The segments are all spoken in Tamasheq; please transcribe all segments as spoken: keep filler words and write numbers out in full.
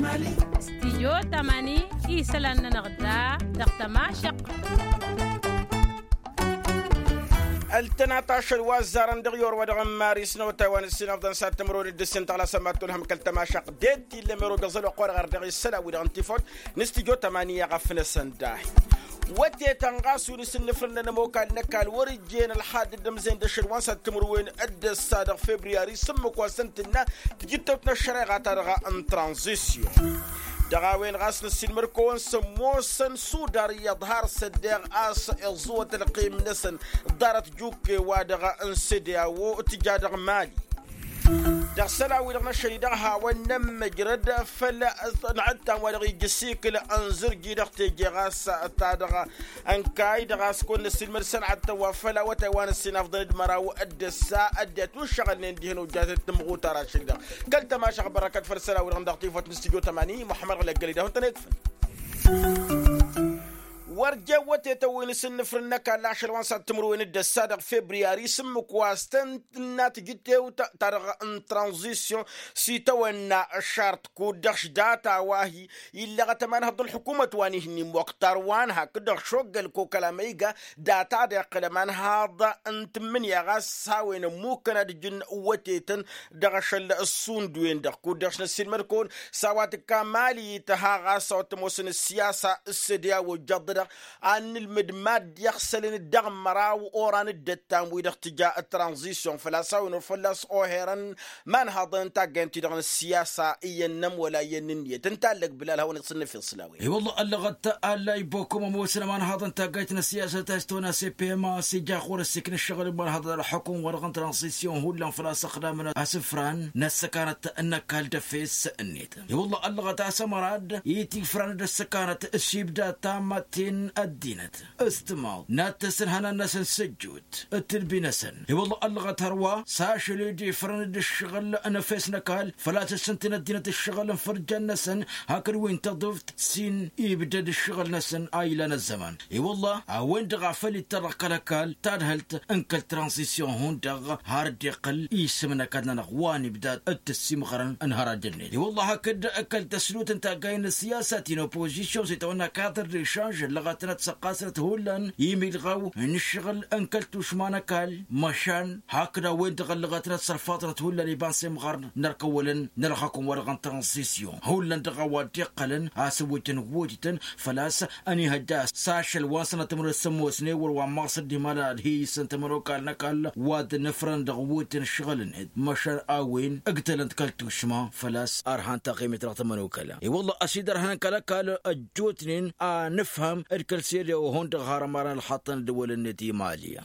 Stijyo tamani isălan-nănăɣ da dăɣ-tămašăq. Ăltănat ašăl wa ăzzarăn dăɣ-i orwădăɣ n-maris n-awătay wa n-ǝssin afḍăn s-ad-tǝmrăwăn d-ǝssin tăɣlasăn mad-tulhăm kăl-tămašăq. Ded-t illăm erogăẓăl wa ăqqoreɣ ar dăɣ-i isălan-wi-dăɣ n-tifawt n-stijyo tamani i-aɣăf-năsăn dahi. Wătetăn ɣas wi n-asǝnnǝfrǝnnăn ămokal n-ăkall wăr-ǝjjen ălxadd d-ămzen d-ašăl wa n-s ad-timǝrwen d-ăssa dăɣ-febriyari s-ǝmmǝk wa s-tăn-tǝnna tijǝttewt n-ăššăreɣa-ta-dăɣ n-tranzisyon. Dăɣ-a-wen ɣas năssiinmăr-kăwăn s-ămoosăn sudar iyyăḍ har s-ăddeɣ a-s iẓẓuwăt ălqim-năsăn ḍarăt jukke-wa-dăɣ n-sede a-wo tǝja dăɣ-mali. Dăɣ-isălan-wi-dăɣ n-ašăl-i-dăɣ hawăn-nămmăjrăd făll-năɣăttan wa dăɣ-ija ăsikǝl ănzărji dăɣ-teje ɣas ta-dăɣ ănkay-dăɣ a-s kăwăn-năssiilmăd sănɣăttăn wa făll-awătay wa n-ăssinafḍăn d-măraw d-ăssa ăddinăt wi ǝššăɣǝlnen dihen ojjatăt tǝmɣutar ašăl-i-dăɣ. Kăl-tămašăɣ bărăkăt făll-isălan-wi-dăɣ dăɣ-tifăt n-stijyo tămani muḥămmăd ɣǝlăggăl-i-dăɣ wăn-tăn-ekfăn. Wăr jen wătetăn wi n-asǝnnǝfrǝn n-ăkall ašăl wa n-s ad-timǝrwen d-ăssa dăɣ-febriyari s-ǝmmǝk wa s-tăn tǝnna tijǝttewt ta-dăɣ n-tranzisyon s-itawănna šart kud-dăɣ šdata wa-hi illăɣăt ămanhăḍ n-ălḥukumăt wa n-ihǝnni moktar wa n-hakd-dăɣ šoggăl kokăl amăyga data-dăɣ iqqăl ămanhăḍ n-tǝmmǝnǝya ɣas s-a-wen ămmukkăn ad-ǝjǝn wătetăn dăɣ-ašăl ăssundu-en-dăɣ kud-dăɣ s-năssiilmăd-kăwăn s-a-wa tǝkka mali tǝha ɣas a-wa t-ămoosăn ăssiyasa s-sădǝya wa ojjăḍ-dăɣ ad-nǝlmǝd mad-iɣsălăn dăɣ-măraw oran d-ăttam-wi-dăɣ tǝja ătranzisyon făl-a-s a-wen wăr fălla-s oherăn imanhaḍăn n-taggayăn-ti-dăɣ n-ăssiyasa iyyăn-năm wăla iyyăn n-ǝnniyăt ǝnta allăg bǝlal hawăn-iɣsǝnnăf i-ăṣlawen. I-wălla ăllăɣăt allay bokom ămoosăn imanhaḍăn n-taggayt n-ăssiyasa ta s-tăwănna s-e p m a s-ija ɣur-ăssikn ǝššăɣǝl n-imanhaḍăn ălxukum wa dăɣ-n tranzisyon hullan făl-a-s ăxdamăn asǝfran n-ăssăkanăt n-ăkall d-efes-net. I-wălla ăllăɣăt a-s ămărad itifran d-ăssăkanăt s-ibda tammaten ăddinăt s-tǝmaḍ n-ad-tăsǝnhănan-năsăn s-ăjjoot d-tǝlbi-năsăn. I-wălla ăllăɣăt hărwa s-ašăl ed ifrăn d-ǝššăɣǝl n-efes n-ăkall făl-a-s ǝssǝntǝn ăddinăt ǝššăɣǝl n-fărjan-năsăn hakd wi n-tăḍuft s-in-ibdăd ǝššăɣǝl-năsăn a ilan ăzzăman. I-wălla a-wen-dăɣ a făl ittărrăɣ kăl-ăkall tadhǝlt n-kăl-tranzisyon hundăɣ har dd-iqqăl isǝm n-ăkall-nănăɣ wa n-ibdad d-tǝssimɣărăn n-hărăj-net. I-wălla hakd kăl-tăslut n-taggay n-ăssiyasa ti n-opozisyon s-itawănna kadăr d-ešanž ăllăɣătnăt săqqasnăt hullan imidɣaw n-ǝššăɣǝl n-kăl-tušma n-ăkall măšan hakd a-wen-dăɣ ăllăɣătnăt sărfaḍnăt hullan iba n-semɣarn n-ărkăwălăn n-ălxakum wa dăɣ-n tranzisyon hullan dăɣ-a-wa dd-iqqălăn a-s ǝwwǝjăn wutităn făl-a-s ănihăjja s-ašăl wa n-sănăt timǝrǝt s-ămoosnen wăr wa n-maṣ dd-imalăn ad-hi-issăn tămănokal n-ăkall wa dd-nǝfrăn dăɣ-wutităn ǝššăɣǝl-net măšan a-wen ǝgdălăn-t kăl-tušma făl-a-s ărhan taɣimit dăɣ-tămănokăla. I-wălla ăsidărhăn kăl-ăkall ăjjootnen a nǝfhăm d-kăl-sede ohon-dăɣ har ămarăn ălxaṭṭăn ăddăwăl-net i-mali.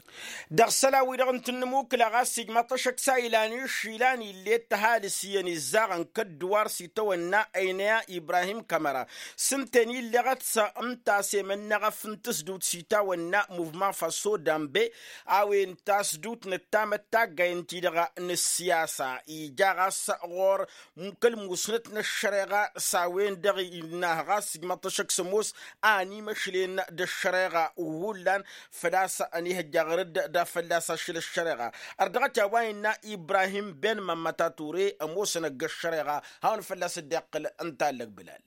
Dăɣ-isălan-wi-dăɣ n-tǝnnǝmukǝla ɣas ijmaḍ tašăksa ilan išilan ill'-e d-tăhalǝs iyyăn izzaɣăn kădduwar s-itawănna ăynăya ibrahim kămăra s-ǝnta-en illeɣăt s-ǝnta a-s emănneɣăf n-tǝsdǝwt s-itawănna muvma faso dambe a-wen tasdǝwt nǝttamăt taggay ǝnta-i-dăɣ n-ǝssiyasa ija ɣas ɣur-kăl-musnăt n-ăššăreɣa s-a-wen-dăɣ innah ɣas ijmaḍ tašăk s-ămoos a ănimăšlen d-ăššăreɣa hullan făl-a-s ănihăjja ɣur-dd da fălla-s ašăl ăššăreɣa. Ărdăɣăt i-a-wa innă ibrahim ben mămmăta ture ămoosăn ăgg-ăššăreɣa hawăn-fălla-s dd-iqqǝl ǝnta allăg bǝlal.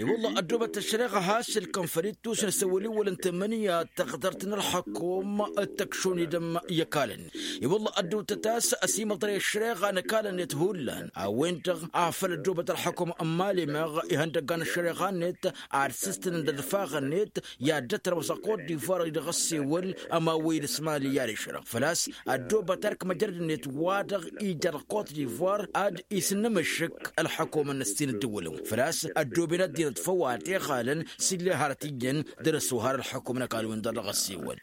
I-wălla ăddoobăt ăššăreɣa has-sǝlkăn făll-ittus n-asăwăl-iwwăl n-tămănǝya d-taɣdărt n-ălxăkum d-tăkšun idǝm i-ăkall-net. I-wălla ăddoobăt a-s ăsimăḍrăy ăššăreɣa n-ăkall-net hullan a-wen-dăɣ afăl ăddoobăt ălxăkum n-mali meɣ ihăndăgga n-ăššăreɣa-net ad-sǝstǝnăn d-ădfaɣ-net i-ad-dd-ătrăwăs ăkot d-ivar-i dăɣ-ăssewăl ămawăyăd s-mali i-ad-išrăɣ făl-a-s ăddoobăt ărk măjrăd-net wa-dăɣ ija dăɣ-kot d-ivar ad-isǝnnǝmǝššǝk ălxăkum n-ǝssin ǝddǝwǝlăn făl-a-s ăddooben ăddinăt făw a t-iɣalăn s-ille hărăt iyyăn dăr-s ohar ălxăkum n-ăkall-wen-dăɣ dăɣ-ăssewăl.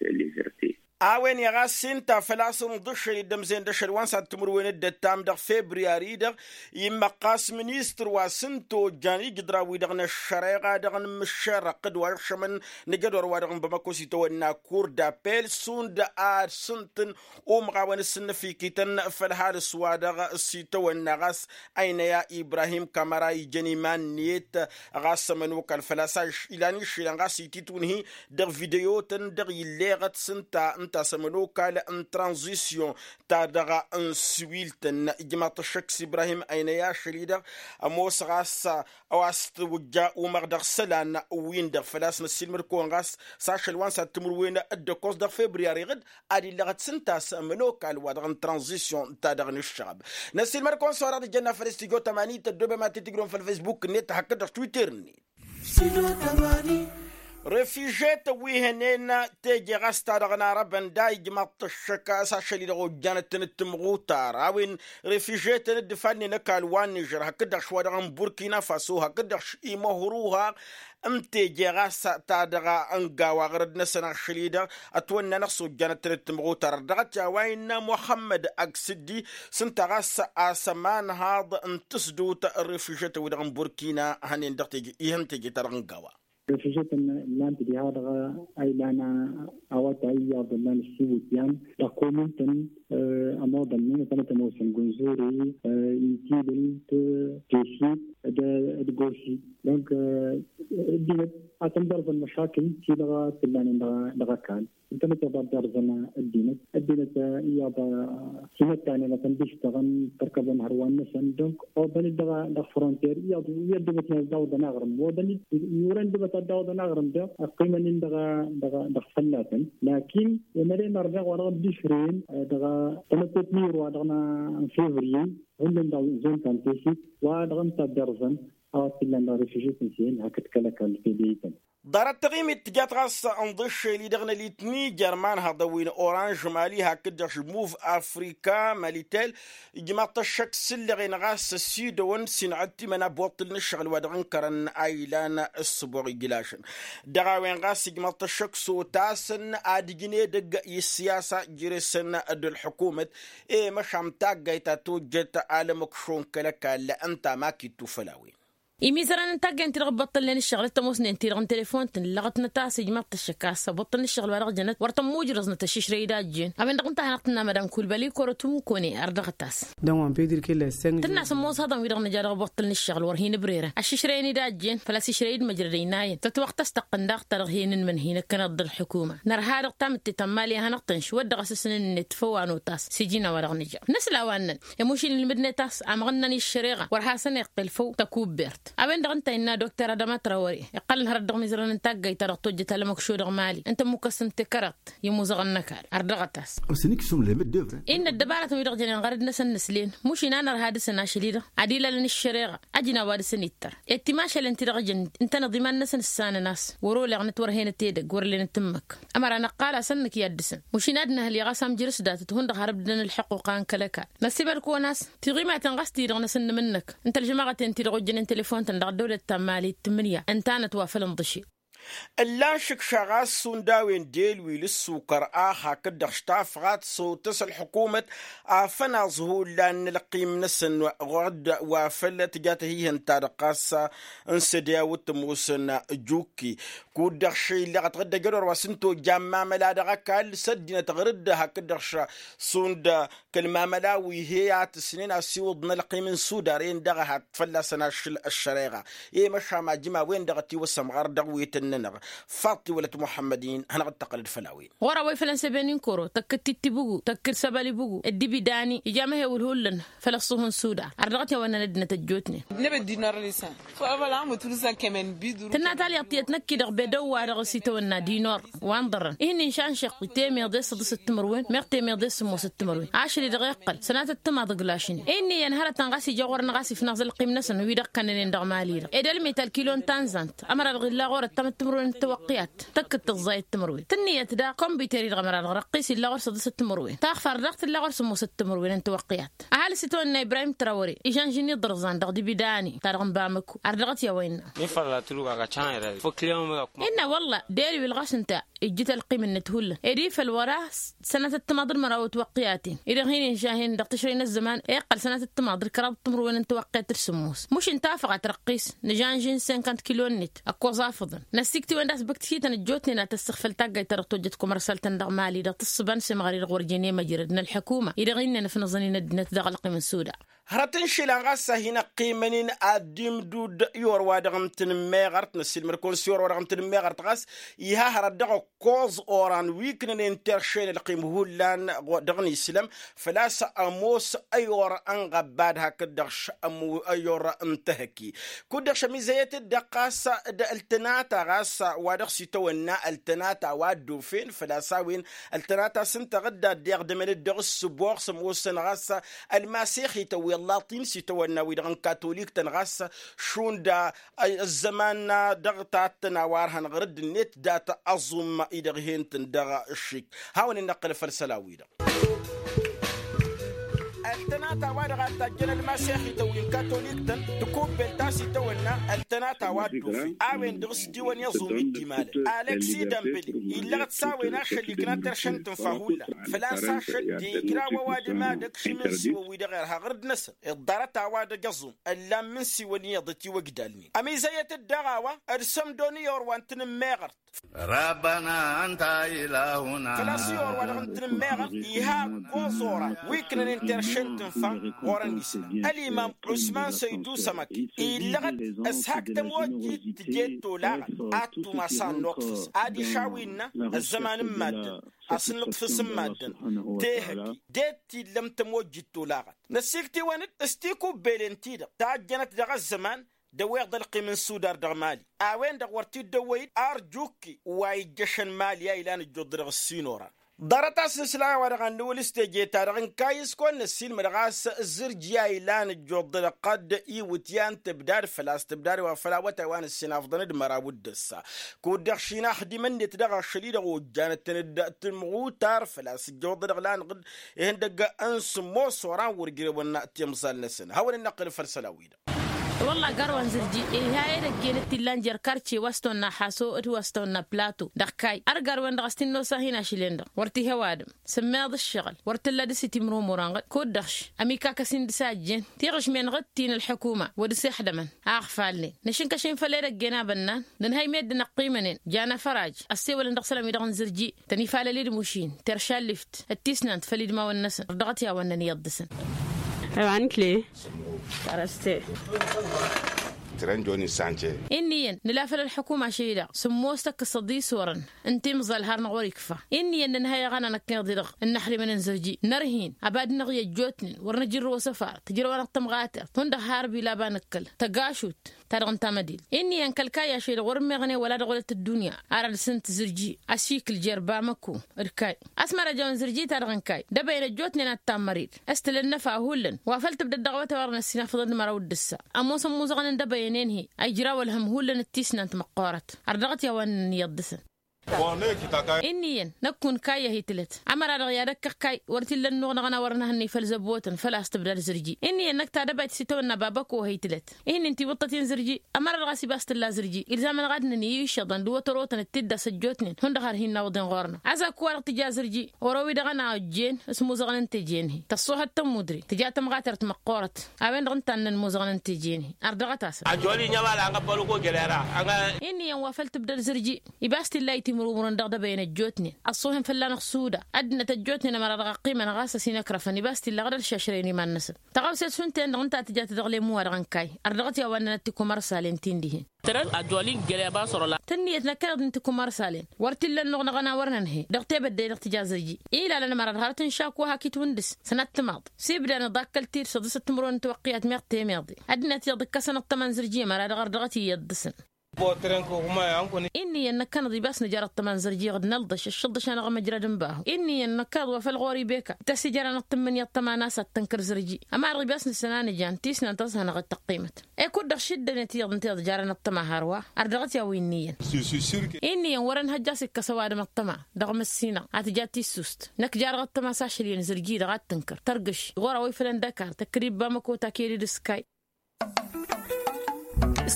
A-wen iɣas ǝnta făl-a-s ǝnḍǝššăl-dd ămzen d-ašăl wa n-sad-timǝrwen d-ăttam dăɣ-febriyari-dăɣ immăqqas ministăr wa s-ǝnta ojjan ijǝḍran-wi-dăɣ n-ăššăreɣa dăɣ-nǝmmǝššerrăɣ d-wa ăššămăn n-ajădor-wa-dăɣ n-bamăko s-itawănna kur d-apel šund ad-sǝntǝn umɣawăn s-ǝnnăfikităn făll-halǝs-wa-dăɣ s-itawănna ɣas ăynăya ibrahim kamăra ijăn iman-net ɣas ămănokal făl-a-s ilan išilăn ɣas ititwǝnhi dăɣ-videyotăn dăɣ-illeɣăt s-ǝnta. Tasăm ănokal n-tranzisyon ta-dăɣ n-siwiltăn ijmaḍ-t ăššăk s-ibrahim ăynăy ašăl-i-dăɣ. Ămoos ɣas a-wa s-tǝwǝjja umăɣ dăɣ-isălan-win-dăɣ făl-a-s năssiilmăd-kăwăn ɣas s-ašăl wa n-sad-timǝrwen d-ăkkoẓ dăɣ-februari ɣǝd ad-illăɣăt s-ǝnta a-s ănokal wa dăɣ-n tranzisyon ta dăɣ-nǝššăɣăb. Năssiilmăd-kăwăn s-a-wa dăɣ-tǝjjănna făll-studyo tămani tăddoobem ad-t-tǝjrǝwăm făll-facebook-net hakd-dăɣ twitter-net. Refižetăn wi hănen teje ɣas ta dăɣ-narăbăn da ijmaḍ-t ăššăk a-s ašăl-i-dăɣ ojjanăt-tăn d-timɣutar a-wen refižetăn dd-ifannen ăkall wa n-nižer hakd-dăɣ šwa dăɣ-n burkina faso hakd-dăɣ š-imăhruha n-teje ɣas ta dăɣ-ăngawa ɣărăd-năsăn ašăl-i-dăɣ ătwănna-năɣ s-ojjanăt-tăn d-timɣutar ărdăɣăt i-a-wa innă muxămmăd ăgsǝddi s-ǝnta ɣas a-s ămanhaḍ n-tǝsdut n-refižetăn-wi-dăɣ n-burkina hănen dăɣ-teje ihăn teje ta dăɣ-ăngawa. Refižetăn ǝllan-t diha-dăɣ a ilan awătay iyyăḍ ǝllan ǝssiwǝtyan dăɣ-komintăn ămoḍălnen ătănăt ămoosăn gǝnzuri, inkilǝl, tesit, d-gosi. Donc ăddinăt a tăn-dărzăn măšakǝl ti-dăɣ t-ǝllanen dăɣ-ăkall. Ǝntănăt iḍa dd-irzăn ăddinăt ăddinăt iyyăḍ. Timăttanen a tăn-dd-ǝštăɣăn tărkăbăn hărwan-năsăn donc oḍăn-dd dăɣ-fronter iyyăḍ wi ăddubătnen ad-dawăḍăn aɣrǝm oḍăn-dd iwrăn ăddubăt ad-dawăḍăn aɣrǝm. Dăɣ-ăqqimăn-in dăɣ-dăɣ-fălla-tăn lakin emăre mărneɣ wa dăɣ-dd-išrǝyăn dăɣ-tănăttot n-iru wa dăɣ-n fevrier hullan dăɣ-zon ta n-tesit wa dăɣ-ǝnta dd-irzăn a-wa t-illan dăɣ-refižităn s-iyyăn hakd kăl-ăkall tedeytăn. Ḍarăt taɣimit tǝjat ɣas ǝnḍǝššel-i-dăɣ n-ălit nijer ma n-hăḍăwin oranž mali hakd-dăɣ š-muv afrika malitel ijmaḍ-t ăššăk s-ǝllăɣen ɣas ăsidăwăn s-inɣăt timăna boṭṭǝl n-ǝššăɣǝl wa dăɣ-ǝnkărăn a ilan ǝssǝboɣ ijlašăn. Dăɣ-a-wen ɣas ijmaḍ-t ăššăk s-otasăn ad-ǝjǝn edăgg i-ǝssiyasa jere-săn d-ălḥukumăt i-măšan taggayt ta tojjăt alămăkšo n-kăl-ăkall ǝnta ma k-ittu făll-a-wen. Imizărăn n-taggayt-ti-dăɣ ǝbbăṭṭălnen ǝššăɣǝl d-tămoosnen-ti-dăɣ n-telefon-tăn ǝllăɣăt-năt a-s ijmaḍ-t ăššăk a-s ăbăṭṭăl n-ǝššăɣǝl wa dăɣ-jănăt wăr tăn-mujrăẓnăt ăšišrăy d-a ăjjeen a-wen-dăɣ ǝnta a hanăɣ-tǝnnamăd amkulbăl i-korăt umukone ardăɣăt-as. Tǝnn'-as ămoos hăḍăn-wi-dăɣ nǝja dăɣ-ăbboṭṭăl n-ǝššăɣǝl wăr hin-ǝbrerăn ăšišrăyăn-dd a ăjjeen făl-a-s išrăy-dd măjrăd ăynayăn tătwăɣtăs tăqqǝn daɣ ta dăɣ-hi-nǝnmǝnhǝy năkkăneḍ d-ălḥukuma. Nărha dăɣ-tamǝtte ta n-imali a hanăɣ-tănš wăr dăɣ-asǝsnǝn-net făw a notas s-iji n-a-wa-dăɣ nǝja. Năsla wa ǝnnăn i-mušin ilmǝdnet a-s amăɣ ǝnnăn iššăreɣa wăr hasăn-iqqel făw tăkubbert. A-wen-dăɣ ǝnta innă dokter adăma trawăre iqqălăn hărăt dăɣ-imizărăn n-taggayt-ta-dăɣ tojjăt alămăkšo dăɣ-imali ǝnta ămmukăs n-tikrăḍt i-imuzăɣăn n-ăkall. Ărdăɣăt-as. Innă ăddăbarătăn-wi-dăɣ jănen ɣărăd-năsăn nǝslen mušin a nărha dăɣ-săn ašăl-i-dăɣ ad-ilalăn ǝššăreɣa. Ăjnaw ad-dăɣ-săn ittăr i-timašalen-ti-dăɣ jăn ǝntăneḍ iman-năsăn ǝssanăn a-s wăr-oleɣnăt wăr hen-ătedăgg wăr-ǝllenăt ǝmmǝk. Ămăra năqqal-asăn nǝkya dd-săn mušin ad-nǝhǝl i-ɣas amjǝr s-datăt hundăɣ har ǝbdǝdăn ălḥăqquqa n-kăl-ăkall. Năssiibăd-kăwăn a-s tiɣimaten ɣas-ti-dăɣ năsăn nǝmǝnnăk ǝnta ălžămaɣăten-ti-dăɣ ojjănen telefon-tăn dăɣ-ăddăwlăt ta n-mali d-tǝmmǝnǝya ǝnta a nătwafăl ǝnḍǝšel. Ǝllan šǝkša ɣas šund a-wen d-elwil ǝssukăr ax hakd-dăɣ štafɣat s-otăs ălḥukumăt afănaẓ hullan n-ălqim-năsăn ɣur-dd wa făl tǝja tăhihăn-ta-dăɣ ɣas n-sădya wǝttǝmosăn. Jukki kud-dăɣ šăy illeɣăt ɣǝddăjăn wăr wa s-ǝnta ojja n-imamăla dăɣ-ăkall s-ăddinăt ɣur-dd hakd-dăɣ šund kăl-imamăla wi he-atǝsnen asiwǝḍ n-ălqim n-sudar-en dăɣ-ehăt fălla-săn ašăl ăššăreɣa. I-măšam ajǝm a-wen-dăɣ ătiwăsăm ɣar dăɣ-wetăn-nănăɣ. Faḍt tiwălăt muḥămmăd-in hanăɣ-dd-tăqqălăd făll-a-wen. Ɣur-a-wa ifălăn sebeni n-koro tăkk-dd tittibǝgu tăkk-dd săbălibǝgu dd-ibidani ija amăhewǝl hullan făll-ăṣṣuh n-sudar ar dăɣ-t i-a-wa ǝnnăn ăddinăt ăjjootnen. Tǝnna talyaḍt tiyyăt năkk-i-dăɣ bedăw-wa-dăɣ s-itawănna dinor wa n-ḍărrăn ihǝnnin šanšăq temeḍe s-săḍǝsăt timǝrwen meɣ temeḍe s-sǝmmosăt timǝrwen ašăl-i-dăɣ iqqăl sănatăt timaḍ ǝglašnen. Inn'-iyyăn hărătăn ɣas ija ɣur-năɣ a-s ifnaẓ ălqim-năsăn wi-dăɣ kănnănen dăɣ-mali-dăɣ ed ălmet ălkilo n-tanzant ămăra-dăɣ illa ɣur-ăttamăt timǝrwen n-tawăqqiyat tăkk-dd tǝẓẓayăt timǝrwen tǝnniyăt daɣ kombiter-i-dăɣ ămăra-dăɣ răqqis illa ɣur-săḍǝsăt timǝrwen taɣfar daɣ tǝlla ɣur-sǝmmosăt timǝrwen n-tawăqqiyat. Ăhalǝs itawănna ibrahim trawăre ižănžăn iḍărẓan dăɣ-dibidani ta dăɣ-n bamăku ar dăɣ-t i-a-wa innă. Innă wălla deri-wi ǝlɣas ǝnta ijjǝt ălqim-net hullan ed ifăl wăr-a sănatăt timaḍ d-măraw n-tiwăqqiyaten-i-dăɣ hin-inžahen dăɣ-tǝšrăy n-ăzzăman iqqăl sănatăt timaḍ d-kăraḍ timǝrwen n-tiwăqqiyat d-sǝmmos mušin tafăɣat răqqis nǝžănžin senkant kilo-net ăkkoẓ afǝḍăn. Năssikt'-iwăn d-asbǝkt-kităn ăjjootnen ad-tăssăɣ făll-taggayt ta dăɣ-tojjăt kumărsăl-tăn dăɣ-mali dăɣ-tǝssǝba n-semɣăr-i-dăɣ wăr jen i-măjrăd n-ălḥukuma-i-dăɣ innăn ǝfnăẓăn-in ăddinăt dăɣ-ălqim n-suda. Hărăt n-išilan ɣas a hin-ăqqimăn-in ad-dd-imdud i-or-wa-dăɣ n-tanămmeɣărt năssiilmăd-kăwăn s-i or-wa-dăɣ n-tanămmeɣărt ɣas iha hărăt dăɣ-ăkkoẓ oran wi ǝknănen terše n-ălqim hullan dăɣ-nǝslăm. Făl-a-s ămoos ăyor ănɣăbbad hakd-dăɣ š-ăyor n-tehăkki kud-dăɣ š-ămizăyăt-dd-dăɣ ɣas d-ăltănata ɣas wa dăɣ-s itawănna ăltănata wa dd-ofen făl-a-s a-wen ăltănata s-ǝnta ɣǝdda dd-iɣdămăn-dd dăɣ-s s-boɣ s-ămoosăn ɣas ălmasexităn wi ăllaṭin s-itawănna wi-dăɣ n-katolik-tăn ɣas šund ăzzăman dăɣ-tattăn a-wa ărhăn ɣur-dd-net dat-aẓum-i-dăɣ hen-tăn dăɣ-aššik. Hawăn-in-năqqǝl făll-isălan-wi-dăɣ ăltănata wa dăɣ-a tajjăn ălmasexităn wi n-katolik-tăn tikubbelt a-s itawănna ăltănata wa dd-ofen a-wen dăɣ-s diwăn i-aẓum-i dd-imalăn aleksi dămbăle illăɣăt s-a-wen ašăl ikna terše n-tǝnfa hullan. Făl-a-s ašăl d-ijraw ăwadǝm ad-ăkšǝm n-siwăn wi dăɣ-irha ɣur-dd-năsăn iḍḍarăt a-wa dăgg-aẓum ăllam n-siwăn iyyăḍ ătiwăjdalnen ămizăyăt-dd dăɣ-a-wa d-sămdon i-orwa n-tanǝmmeɣărt. Rabbana anta ilahuna. Făl-a-s i-orwa-dăɣ n-tanǝmmeɣărt iha ăkkoẓ oran wi ǝknănen terše n-tǝnfa ɣur-ănn islam ălimam usman săydu sămăk illăɣăt s-hak tămojjit tǝjed tolaɣăt ad-tumas ad-nuṭfǝs ad-išaw innă ăzzăman n-maddǝn a-s nuṭfǝs n-maddǝn tehăkki. De-t tillăm tămojjit tolaɣăt năssiktǝwăn-dd s-tikubbelen-ti-dăɣ tajjănăt dăɣ-ăzzăman d-ăweḍ ălqim n-sudar dăɣ-mali a-wen-dăɣ wăr t-dd-ăwwăy-dd arjukki wa ijjăšăn mali a ilan ǝjjuḍ-dăɣ ăssin-oran. Ḍarăt-as n-islan a-wa-dăɣ a n-nǝwǝl s-teje-ta-dăɣ n-kayǝs kăwăn-năssiilmăd ɣas zǝrji a ilan ǝjjuḍ-dăɣ qădd iwǝtyan tǝbdad făl-a-s tǝbdad wa făl awătay wa n-ǝssinafḍăn d-măraw d-ǝssa. Kud-dăɣ šin axdimăn-net dăɣ-ašăl-i-dăɣ ojjanăt-tăn-dd tǝmɣutar făl-a-s ǝjjăwăḍ-dăɣ lanăɣ-dd ihăndăgg n-sǝmmos oran wăr ǝjrewăn timẓal-năsăn hawăn-in-năqqǝl făll-isălan-wi-dăɣ. Wălla garwen zǝrji iha edăgg-en d-t-illan jer-karce wa s-tăwănna haso d-wa s-tăwănna plato dăɣ-kayy ărgarwen-dăɣ a-s t-innosa hin-ašǝl-en-dăɣ wăr t-iha ăwadǝm sǝmmeḍ ǝššăɣǝl wăr t-tǝlla dăr-s itimrumurăn ɣǝd kud-dăɣ š-amikak ăsindǝs a ăjjeen tiɣǝšmen ɣǝd ti n-ălḥukuma wăr dăr-s ixdămăn a ăɣfalnen năšǝnkăšen făll-edăgg-en a bănnan nǝnhăy meddǝn ăqqimănen jan afăraj ăssewălăn dăɣ-isălan-wi-dăɣ n-zǝrji tăn-ifalăl-dd mušin terša ăllift d-tisnant făll-idmawăn-năsăn ărdăɣăt i-a-wa ǝnnăn iyyăḍ dăɣ-săn. Ănn-iyyăn nǝla făll-ălḥukuma ašăl-i-dăɣ sǝmmos tăkkăsăḍ isorăn n-timẓal har-năɣ wăr-ikfa. Inn'-iyyăn nǝnhăy aɣăna năkk iḍǝy-dăɣ ǝnnăxdimăn n-zărji nărhin ăbadnăɣ i-ăjjootnen wăr nǝjǝrrǝw asăfar tǝjrăwăn ăṭṭămɣater hundăɣ har bilaba nǝkkăl tăgašut ta dăɣ-n tamădil. Inn'-iyyăn kăl-kayy ašăl-i-dăɣ wăr-ǝmmeɣnen wăla dăɣ-wălăt ăddunya ar ad-sǝnt zǝrji ăsikǝl jer-bamăko d-kayy. A-s măra ăjawăn zǝrji-ta-dăɣ n-kayy d-ebăyăn ăjjootnen ad-tammăr-dd s-tǝla ănnăfa hullan wa făl-tǝbdăd dăɣ-awătay wa dăɣ-năssinafăḍăn d-măraw d-ǝssa. Ămoosăn imuzăɣăn n-debăyăn-en-hi a ijraw ălhăm hullan d-tisnant măqqoorăt ărdăɣăt i-a-wa ǝnnăn iyyăḍ dăɣ-săn. Inn'-iyyăn năkk unkayyăh itǝlăt ămăra-dăɣ i-ad-ăkkăɣ kayy wăr t-illa ănnuɣ dăɣ-năwărăn a hănnăy făll-zăbotăn făl-a-s tǝbdad zǝrji. Inn'-iyyăn năkk ta dăbayt s-itawănna babăko-hăy tǝlăt. Ihǝnnin tiwǝḍtăt-in zǝrji ămăra-dăɣ a-s ibas tǝlla zǝrji ilzam-anăɣ ad-nǝnǝy išăḍăn d-iwătărotăn d-tiddas ăjjootnen hundăɣ har hin-nawǝḍen ɣur-năɣ. Ăzak-wa-dăɣ tǝja zǝrji oro-wi-dăɣ a n-a ojjen s-imuzăɣăn n-teje-en-hi tăṣṣuhăt tămmudre tǝja tămɣatert măqqoorăt. A-wen-dăɣ ǝnta a ǝnnăn imuzăɣăn n-teje-en-hi ărdăɣăt-asăn. Ăjjool-i n-ămala a n-ăbbăluk ojelera. Inn'-iyyăn wa făl tǝbdăd zǝrji ibas t-illa itimrumurăn dăɣ-dăbăyăn ăjjootnen ăṣṣuhăn fălla-năɣ suda. Ăddinăt ăjjootnen ămăra dăɣ-ăqqimăn ɣas ăsinăkrăfăn ibas t-illa ɣad-ălšašrăyăn iman-năsăn. Tăɣawse-s šund-ten-dăɣ ǝnta a tǝjat dăɣ-lem-wa-dăɣ n-kayy ărdăɣăt i-a-wa ǝnnănăt tikumărsalen ti n-dihen. Tărăn ăjjool-i n-găleba sărăla. Tǝnniyăt năkkăneḍ-in tikumărsalen wăr t-illa ănnuɣ dăɣ-ănawărăn ănhăy dăɣ-tebădde-i-dăɣ tǝja zǝrji. Ilalăn ămăra d-hărăt n-šaku hak itwǝndǝs sănat timaḍ s-ibdan iḍakkăl-t-dd săḍǝsăt timǝrwen n-tiwăqqiyat meɣ temeḍe. Ăddinăt iyyăḍ ǝkkăsăn ăṭṭăma n-zǝrji ămăra dăɣ-ărdăɣăt iyyăḍ dăɣ-săn. Inn'-iyyăn năkkăneḍ ibas nǝjar ăṭṭăma n-zărji iɣǝd nălḍăš ǝššăḍăš-anăɣ ămăjrad n-bahu. Inn'-iyyăn năkkăneḍ wa făl ɣur-i beka tăsijăranăɣ tǝmmǝnǝya ăṭṭăma n-a-s ad-tǝnkăr zărji. Ămăra ibas nǝssan a nǝjan tisnant a-s hanăɣ-dd-tăqqimăt. I-kud-dăɣ šǝddănet iyyăḍ ǝnta iḍjarăn ăṭṭăma hărwa ărdăɣăt i-a-wa inn'-iyyăn. Inn'-iyyăn wăr-ănhăjja a-s ikkăs ăwadǝm ăṭṭăma dăɣ-măssinăɣ a tǝja tissust. Năkk jar dăɣ-ăṭṭăma a-s ašăl iyyăn zărji-dăɣ ad-tǝnkăr tărgǝš ɣur-a-wa ifălăn d-ăkar tăkkăd-dd bamăko taked-dd s-kayy.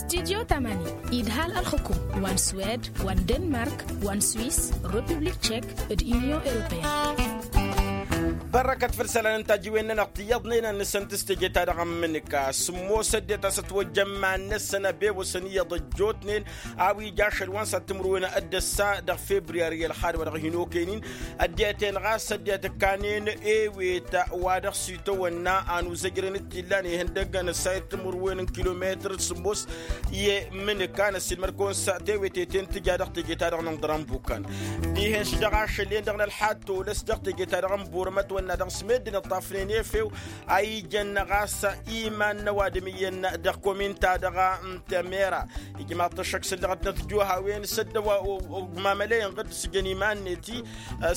Studyo tamani idhal ălxukum wa n-swed wa n-denmark wa n-swis, republik tchek, d-unyon europeyăn. Părrăkăt făll-isălan n-tajǝwen-nănăɣ ti iyyăḍnen ad-nǝsǝntǝs teje-ta-dăɣ n-imǝnǝka s-ǝmmos ăddinăt a-s ătwăjja iman-năsăn ăbewăsăn iyyăḍ ăjjootnen a-wa ija ašăl wa n-săttǝmǝrwen d-ăssa dăɣ-februyari ălxad wa dăɣ-hin-okăynen. Ăddinăt-en ɣas ăddinăt ǝkkanen ewet wa dăɣ-s itawănna anuzăjrăn d-t-illan ihăndăggăn ăssayăt timǝrwen n-kilometăr s-ǝmmos i-imǝnǝka năssiilmăd-kăwăn s-teweteten tǝja dăɣ-teje-ta-dăɣ n-inḍăr ănbukăn dihen-s dăɣ-ašăl-en-dăɣ n-ălxad tolăs dăɣ-teje-ta-dăɣ n-burămăt wănna dăɣ-s meddǝn ǝṭṭafnen efew a ijăn ɣas iman n-ăwadǝm iyyăn dăɣ-komin-ta-dăɣ n-temera. Ijmaḍ-t ăššăk s-ǝllăɣăt n-ătjuhawen s-ăddăw ogmamălăyăn ɣǝdd s-jăn iman-net-i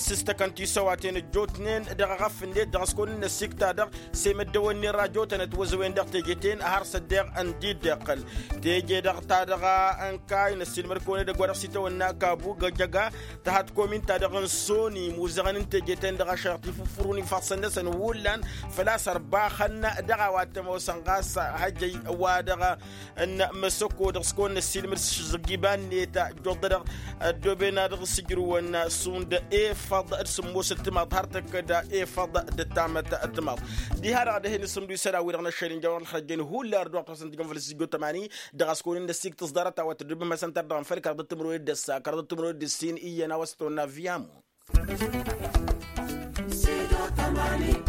s-ǝstăkăn tisăwaten ăjjootnen dăɣ-eɣăf-net dăɣ-s kăwăn-in-năssikta-dăɣ s-e-măddăwănni n-rajotăn ătwăzăwen dăɣ-teje-ten har s-ăddeɣ ăndi dd-iqqăl teje-dăɣ ta dăɣ-ănkay năssiilmăd-kăwăn edăgg wa dăɣ-s itawănna kabu găjăga. Tăhat komin-ta-dăɣ n-soni muzăɣăn n-teje-ten-dăɣ ašăl tifǝffărun ifassăn-năsăn hullan făl-a-s ărbaxăn dăɣ-a-wa t-ămoosăn ɣas hăjăy wa dăɣ-n-măsăko dăɣ-s kăwăn-năssiilmăd s-iban-net ăjjoḍădăɣ ăddooben ad-dăɣ-s ǝjrǝwăn šund efăḍ d-sǝmmos d-timaḍt har tăkk-dd efăḍ d-ăttamăt timaḍt. Diha-dăɣ ad-hin-ǝssǝmdu isălan-wi-dăɣ n-ăššăl injawăr ălxărjăn hullan ărduɣ tăsăn tijăn făll-s ijjo tămani. Dăɣ-a-s kăwăn-in-năssikǝt s-ḍarăt a-wa tăddubăm hasăn-ta-dăɣ n-făll-kăraḍăt timǝrwen d-ăssa kăraḍăt timǝrwen d-ǝssin iyyăn a-wa s-tăwănna viyamu. Sido tămani.